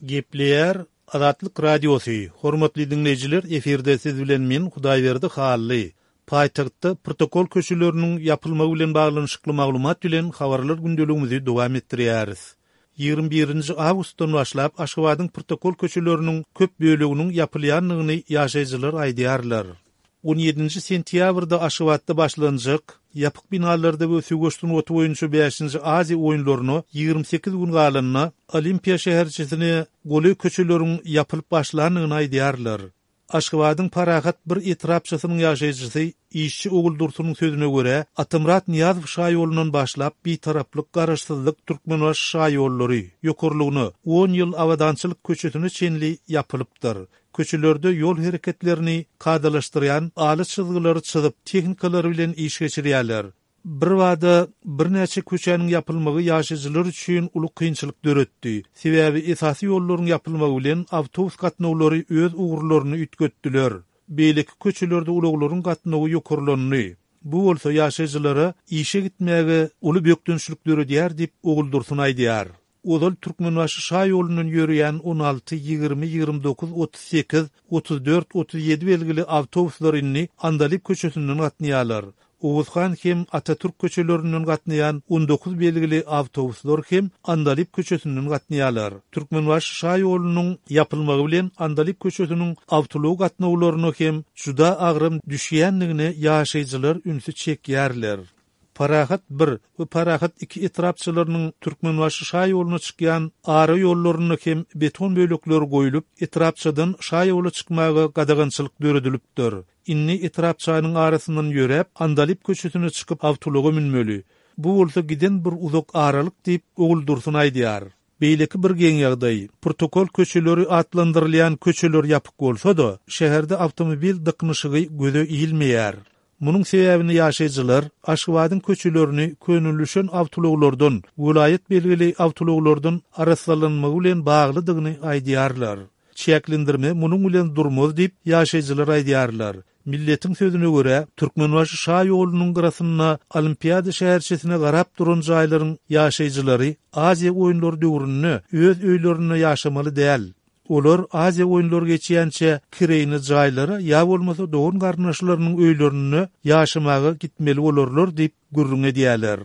Gepleýär Azatlyk Radiosy, Hormatly diňleýjiler, efirde siz bilen men Hudaýberdi Hally. Paýtagtda protokol köçeleriniň ýapylmagy bilen baglanyşykly maglumat bilen habarlar gündeligimizi dowam etdirýäris. 21 nji awgustdan başlap Aşgabadyň protokol köçeleriniň köp böleginiň ýapylýandygyny ýaşaýjylar aýdýarlar. On ýedinji sentýabrda Aşgabatda başlanjak ýapyk binalarda we söweş sungaty boýunça bäşinji Aziýa oýunlaryna 28 gün galanda Olimpiýa şäherçesine golaý köçeleriň ýapylyp başlandygyny aýdýarlar. Aşgabadyň Parahat bir etrapçasynyň ýaşaýjysy Işçi Oguldursunyň sözüne görä, Atamyrat Nyýazow şaýolundan başlap Bitaraplyk, Garaşsyzlyk, Türkmenbaşy şaýollary, ýokarlygyna, On ýyl Abadançylyk köçesine çenli ýapylypdyr. Köçelerde ýol hereketlerini kadalaşdyrýan ala çyzgylary çyzyp, tehnikalar bilen iş geçirýärler. Birbada birnäçe köçäniň ýapylmagy ýaşaýjylar üçin uly kynçylyk döretdi. Sebäbi esasy ýollaryň ýapylmagy bilen awtobus gatnawlary öz ugurlaryny üýtgetdiler. Beýleki köçelerde ulaglaryň gatnawy ýokarlandy. Bu bolsa ýaşaýjylara işe gitmäge uly bökdençlik döredýär diýip, Oguldursun aýdýar. Ozal Türkmenbaşy şa ýolundan ýöreýän 16, 20, 29, 38, 34, 37 belgili awtobuslar indi Andalyp köçesinden gatnaýarlar. Oguzhan hem Atatürk köçelerinden gatnaýan 19 belgili awtobuslar hem Andalyp köçesinden gatnaýarlar. Türkmenbaşy şa ýolunyň ýapylmagy bilen Andalyp köçesiniň awtoulag gatnawlaryna hem juda agram düşýändigine ýaşaýjylar ünsi çekýärler. Parahat bir we Parahat iki etrapçalarynyň Türkmenbaşy şa ýoluna çykýan ara ýollarynda hem beton bölekleri goýlup, etrapçadan şa ýola çykmaga gadagançylyk döredilipdir. Indi etrapçanyň arasyndan ýöräp, Andalyp köçesine çykyp awtoulaga münmeli. Bu bolsa giden bir uzak aralyk diýip, Oguldursun aýdýar. Beýleki bir geň ýagdaý, protokol köçeleri atlandyrylýan köçeler ýapyk bolsa-da, şäherde awtomobil dyknyşygy göze ilmeýär. Munuň sebäbini ýaşaýjylar Aşgabadyň köçelerini könelişen awtoulaglardan, welaýat belgili awtoulaglardan arassalanmagy bilen baglydygyny aýdýarlar. Çäklendirme munuň bilen durmaz diýip, ýaşaýjylar aýdýarlar. Milletiň sözüne görä, Türkmenbaşy şa ýolunyň gyrasynda Olimpiada şäherçesine garap duran jaýlaryň ýaşaýjylary Aziýa oýunlary döwründe öz öýlerinde ýaşamaly däl. Olar Aziýa oýunlary geçýänçä kireýine jaýlara ýa bolmasa dogan-garyndaşlarynyň öýlerinde ýaşamaga gitmeli bolarlar diýip gürrüň edýärler.